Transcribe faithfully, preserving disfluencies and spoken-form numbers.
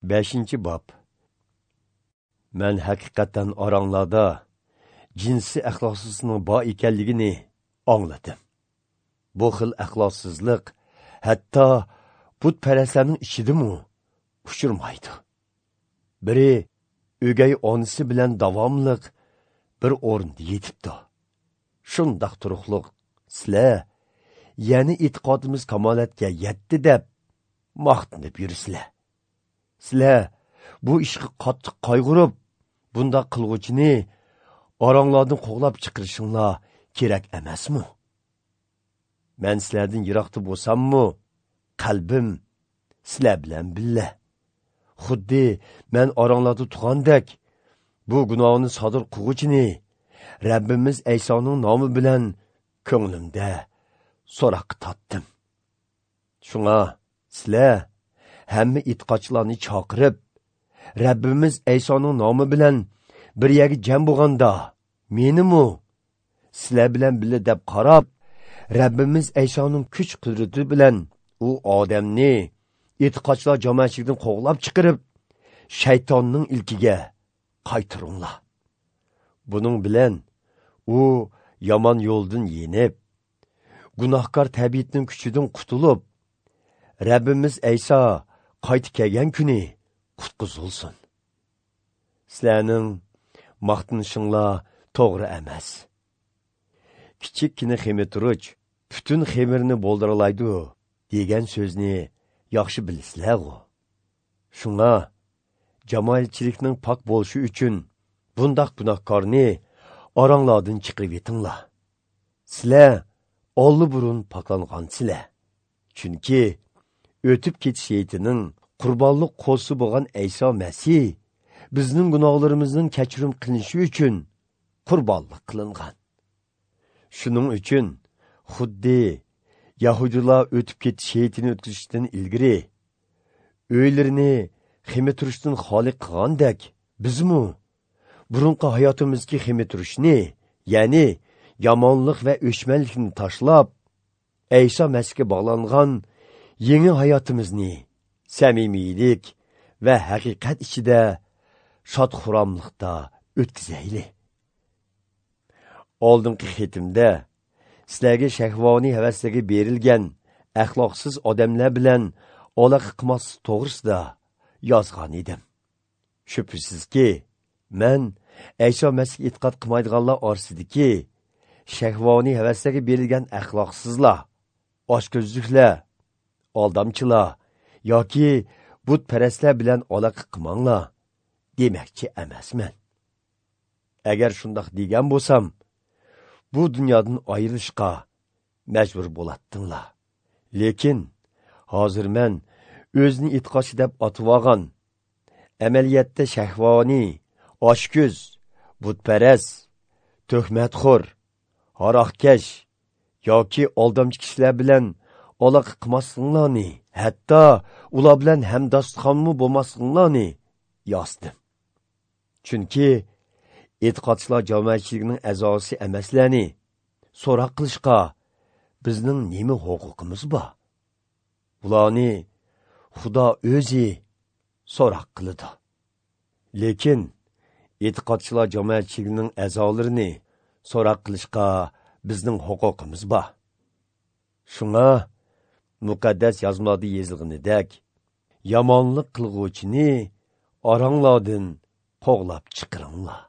Beshinchi bob. Man haqiqatan oranglarda jinsiy axloqsizlikning bor ekanligini angladim. Bu xil axloqsizlik hatto butparastlarning ichidimi uchirmaydi. Biri o'gay onasi bilan davomliq bir o'rinda yetibdi. Shundoq turuqliq sizlar yana e'tiqodimiz kamolatga yetdi deb maqtanib yursizlar. Sizlar bu ishga qattiq qayg'urib, bunda qilg'uvchini oranglardan qo'g'lab chiqarishinglar kerak emasmi? Men sizlardan yiroqda bo'lsammi, qalbim sizlar bilan billa. Xuddi men oranglarda tug'andek bu gunohni sodir qilg'uvchini Rabbimiz Aysoning nomi bilan ko'nglimda so'roqqa tortdim. Shunga sizlar hamma e'tiqodchilarni chaqirib, Rabbimiz Aysoning nomi bilan bir yerga jam bo'lganda, menimu sizlar bilan birga deb qarab, Rabbimiz Aysoning kuch qudrati bilan u odamni e'tiqodchilar jamoatchiligidan qo'g'lab chiqarib, shaytonning ilkiga qaytaringlar. Buning bilan u yomon yo'ldan yenib, gunohkor tabiatning kuchidan qutulib, Rabbimiz Ayso qaytib kelgan kuni qutqizilsin. Sizlarning maqtanishinglar to'g'ri emas. Kichikgina xemirturuch butun xemirni bo'ldiralaydi degan so'zni yaxshi bilasizlar-ku. Shunga jamoatchilikning pok bo'lishi uchun bundaq gunohkorni oranglardan chiqarib yetinglar. Sizlar olli burun poklangansizlar. Chunki o'tib ketish heyitining qurbonlik qo'lsi bo'lgan Ayso Masih bizning gunohlarimizning kechirim qilinishi uchun qurbonlik qilingan. Shuning uchun xuddi Yahudilar o'tib ketish heyitini o'tkazishdan ilgari uylarini ximi turishdan xoli qilgandek, bizmu burunqi hayotimizga ximi turishni, ya'ni yomonlik va o'chmanlikni tashlab, Ayso Masihga bog'langan yangi hayotimizni samimiylik va haqiqat ichida shod-xuramlikda o'tkazayli. Oldingi xatimda sizlarga shahvoniy havaslarga berilgan axloqsiz odamlar bilan aloqa qilmaslik to'g'risida yozgan edim. Shubhasizki, men Ayso Masihga e'tiqod qilmaydiganlar orasidagi shahvoniy havaslarga berilgan axloqsizlar, ochko'zliklar, aldamchilar yoki butparastlar bilan aloqa qilmanglar demakchi emasman. Agar shundoq degan bo'lsam, bu dunyodan ayrilishga majbur bo'latdinglar. Lekin hozir men o'zini e'tiqodchi deb otib olgan, amaliyotda shahvoniy, ochko'z, butparast, tuhmatxo'r, haroqkash yoki aldamchi kishilar bilan aloqa qilmasliginglarni, hatto ular bilan hamdastxonmi bo'lmasliginglarni yozdim. Chunki e'tiqodchilar jamoatchiligining a'zosi emaslarni so'roq qilishga bizning nima huquqimiz bor? Ularni Xudo o'zi so'roq qiladi. Lekin e'tiqodchilar jamoatchiligining a'zolarini so'roq qilishga bizning huquqimiz bor. Shunga muqaddas yozmalarda yozilganidek, yomonlik qilg'uvchini oranglardan qo'g'lab chiqaringlar.